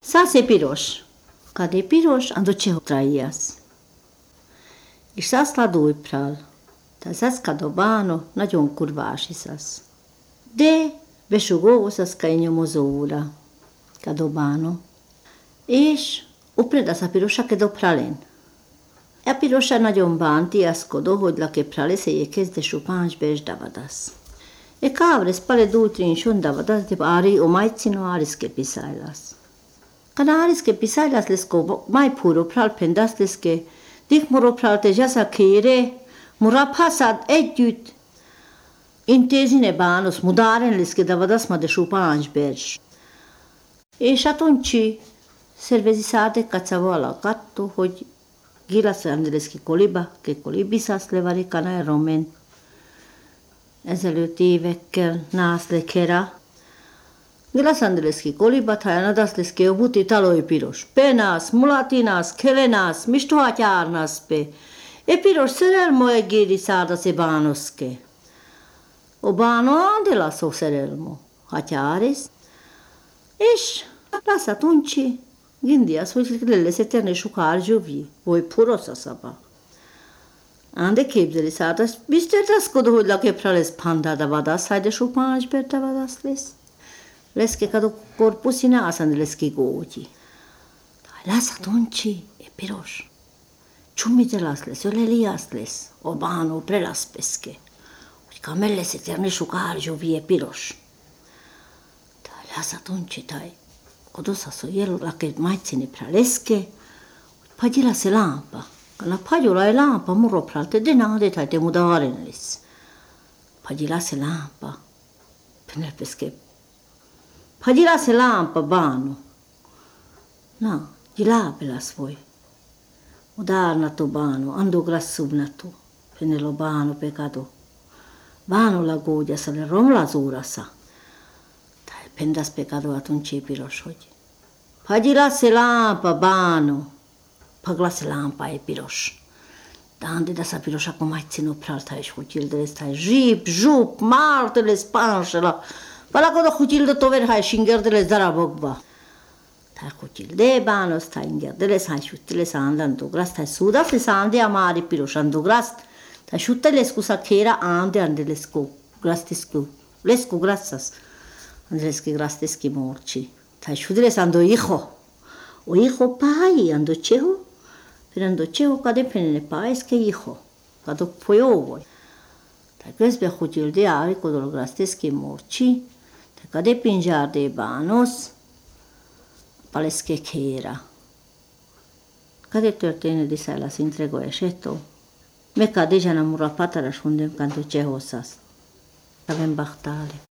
Sase piros. Kad je piros, ando čeho traijas. És szász ladói pral. Tehát szász kadobáno, nagyon kurvási szász. De besugó szász nyomozóra. Kadobáno. És upreda sa pirosa kedo pralen. A pirosa nagyon bánti aszkodó, hogy lake prale se je kezde šupánč bež davadas. E kavre spale dultrin šon davadas de ari o majcino ariske pisailas. Kad ariske pisailas lesko mai puro pral pendas leske dik muro pral te jasa kere mura pasad együtt intézine bános mudaren leske davadas ma de šupánč bež. És atunci szervezisade kacavola katto, hogy Gilas Andreski koliba, ke kolibiszász levari kanál romen. Ezelőtt évekkel nász lekera. Gilas Andreski koliba, tájanadász leszke obuti talói piros. Penász, mulatinász, kelenász, mistohatyárnász pe. E piros szerelmo e géri szárdasz e bánoszke. O báno andelász o szerelmo. Hatyáris. És lász atunci. Gândia să se terne șucar jovi, voi purosa saba. Ande képzeli szádas, biztos raszkodó, hogy lakeprales panda davadas, haide șupánč ber davadas les. Leske cado corpusina asan leski goji. Las atunci e piros. Ciumitelas les, olelias les, obano prelas pesche. Uite camele se terne șucar jovi e piros. Las atunci tai. Kodosa so jelo lake maitsini praleske, padila se lampa. Kana padula e lampa muro pralte denade tai te mudarenelis. Padila se lampa. Penepeske. Padila se lampa bano. Na, gilabelas voi. Mudarnatu bano, ando grassubnatu. Penelo bano pecado. Bano la godia sa le rom lazurasa. Pendas pecado atunci piros hogy. Padila se lampa bano. Pagla se lampa e piros. Dande da sa pirosa cu maitsino pralta e hutilde stai jip, jup, martele spanșela. Pala codo hutilde tover hai shingerdele zarabogba. Tai hutilde bano stai ingerdele sai shutile sandandu grast tai suda se sande amari piros andu grast. Tai shutile scusa chera ande lescu grastiscu. Lescu grassas. Andreski grasteski morci. Tai šudres ando hijo. O hijo pai ando čeho. Pero ando čeho kade penene paeske hijo. Kado pojovoj. Tai kresbe hutil de ari kodol grasteski morci. Tai kade pinjar de banos. Paleske kera. Kade történő diszála szintrego eseto. Me kade jana mura patara shundem kanto čeho sas. Avem bahtale.